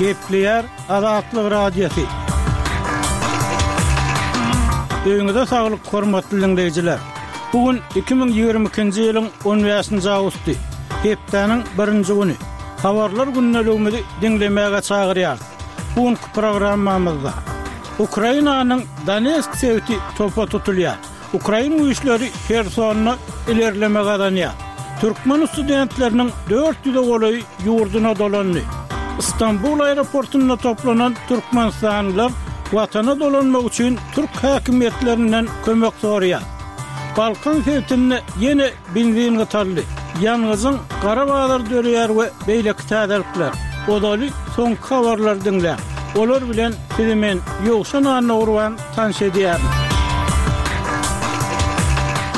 Gepleýär Azatlyk Radiosy. Öýüňize saglyk, hormatly diňleýjiler! Bu gün 2022-nji ýylyň on bäşinji awgusty, hepdäniň birinji güni. Habarlar gündeligimizi diňlemäge çagyrýarys. Bu günki programmamyzda Ukrainanyň Donetsk sebiti topa tutulýar. Ukrain güýçleri Hersonda ilerleme gazanýar. Türkmen studentleriniň 400-e golaýy ýurduna dolandy. Stambul aeroportunda toplanan türkmenistanlylar Watana dolanmak üçin türk häkimiýetlerinden kömek soraýar. Balkan sebitinde ýene benzin gytaldy. Ýangyjyň gara bazary döreýär we beýleki täzelikler. Ozaly soňky habarlary diňläň. Olar bilen sizi men, Ýowşan Annagurban tanyş edýärin.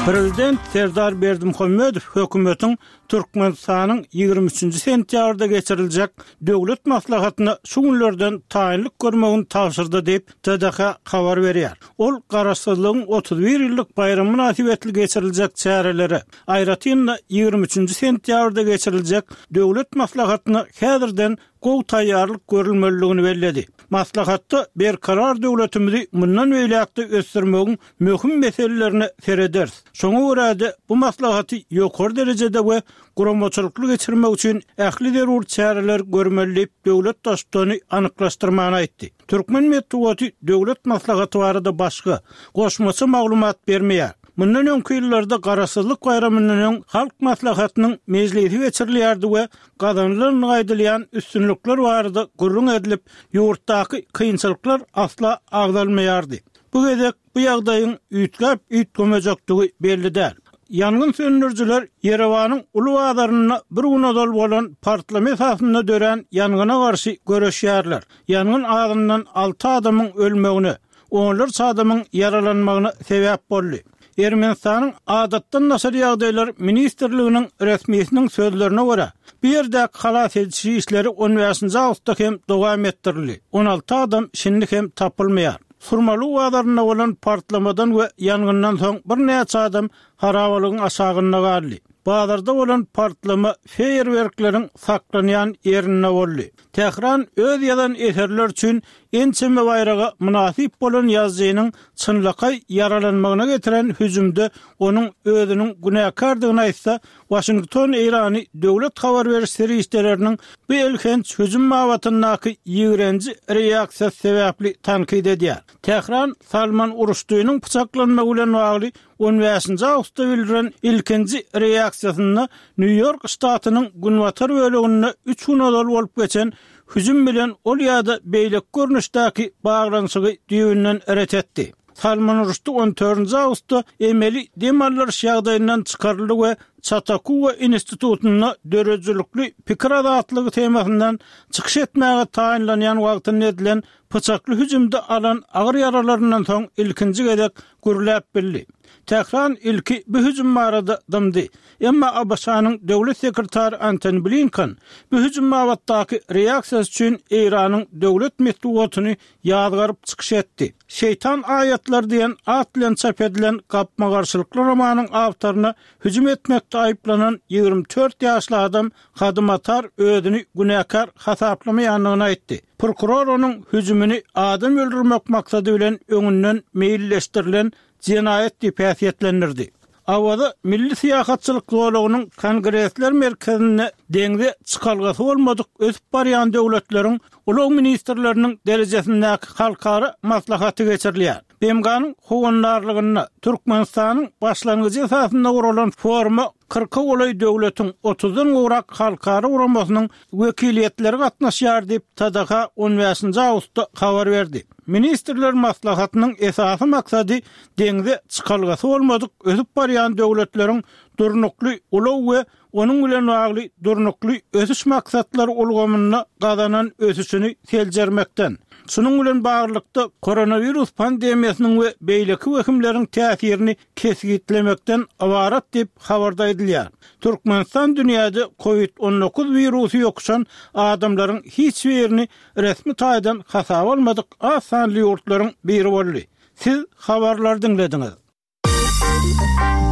Prezident Serdar Berdimuhamedow hökümetiň Türkmenistanyň 23-nji sentýabrda geçiriljek Döwlet maslahatyna şu günlerden taýynlyk görmegini tabşyrdy diýip, TDH habar berýär. Ol Garaşsyzlygyň 31 ýyllyk baýramy mynasybetli geçiriljek çärelere, aýratyn-da, 23-nji sentýabrda geçiriljek Döwlet maslahatyna häzirden gowy taýýarlyk görülmelidigini belledi. Maslahatda berkarar döwletimizi mundan beýläk-de ösdürmegiň möhüm meselelerine serederis. Şoňa görä-de, bu maslahaty ýokary derejede we guramaçylykly geçirmek üçin ähli zerur çäreleri görmeli diýip, döwlet Baştutany anyklaşdyrmany aýtdy. Türkmen metbugaty Döwlet maslahaty barada başga, goşmaça maglumat bermeýär. Mundan öňki ýyllarda Garaşsyzlyk baýramyndan öň Halk Maslahatynyň mejlisi geçirilýärdi we gazanylandygy aýdylýan üstünlikler barada gürrüň edilip, ýurtdaky kynçylyklar asla agzalmaýardy. Bu gezek bu ýagdaýyň üýtgäp-üýtgemejekdigi belli däl. Ýangyn söndürijiler Ýerewanyň uly bazarynda bir gün ozal bolan partlama esasynda dörän ýangyna garşy göreşýärler. Ýangyn azyndan alty adamyň ölmegine, onlarça adamyň ýaralanmagyna sebäp boldy. Ermenistanyň Adatdan daşary ýagdaýlar ministrliginiň resmisiniň sözlerine görä, bu ýerdäki halas ediş işleri on bäşinji awgustda hem dowam etdirildi, 16 adam şindi hem tapylmaýar. Surmalu bazarynda bolan partlamadan we ýangyndan soň birnäçe adam harabalygyň aşagynda galdy. Bazarda bolan partlama feýerwerkleriň saklanýan ýerinde boldy. Tähran öz ýazan eserleri üçin ençeme baýraga mynasyp bolan ýazyjynyň çynlakaý ýaralanmagyna getiren hüjümde onuň özüniň günäkärdigini aýtsa, Waşington Eýrany döwlet habar beriş serişdeleriniň bu elhenç hüjüm babatyndaky ýigrenji reaksiýasy sebäpli tankyt edýär. Tähran Salman Ruşdiniň pyçaklanmagy bilen bagly on bäşinji awgustda bildiren ilkinji reaksiýasynda Nýu-Ýork ştatynyň günbatar böleginde üç gün ozal bolup geçen hüjüm bilen ol ýa-da beýleki görnüşdäki baglanyşygy düýbünden ret etdi. Salman Ruşdi on dördünji awgustda emeli dem aldyryş ýagdaýyndan çykaryldy we Çatakuwa institutynda döredijilikli pikir azatlygy temasyndan çykyş etmäge taýynlanýan wagtynda edilen pyçakly hüjümde alan agyr ýaralaryndan soň ilkinji gezek gürläp bildi. Tähran ilki bu hüjüm barada dymdy. Emma ABŞ-nyň döwlet sekretary Antony Blinken bu hüjüm babatdaky reaksiýasy üçin Eýranyň döwlet metbugatyny ýazgaryp çykyş etdi. Şeýtan aýatlary diýen at bilen çap edilen gapma-garşylykly romanyň awtoryna hüjüm etmekde aýyplanan 24 ýaşly adam Hady Matar özüni günäkär hasaplamaýandygyny aýtdy. Prokuror onuň hüjümini adam öldürmek maksady bilen öňünden meýilleşdirilen jenaýat diýip häsiýetlendirdi. Awaza milli syýahatçylyk zolagynyň Kongresler merkezinde deňze çykalgasy bolmadyk ösüp barýan döwletleriň ulag ministrleriniň derejesindäki halkara maslahaty geçirilýär. BMG-niň howandarlygynda Türkmenistanyň başlangyjy esasynda guralan foruma kyrka golaý döwletiň, otuzdan gowrak halkara guramasynyň wekiliýetleri gatnaşýar diýip, TDH on bäşinji awgustda habar berdi. Ministrler maslahatynyň esasy maksady deňze çykalgasy bolmadyk ösüp barýan döwletleriň durnukly ulag we onuň bilen bagly Durnukly ösüş maksatlary ulgamynda gazanan ösüşini seljermekden, şunuň bilen baglylykda, koronawirus pandemiýasynyň we beýleki wehimleriň täsirini kesgitlemekden ybarat diýip, habarda aýdylýar. Türkmenistan dünýäde Covid 19 wirusy ýokuşan adamlaryň hiç birini resmi taýdan hasaba almadyk az sanly ýurtlaryň biri boldy. Siz habarlary diňlediňiz.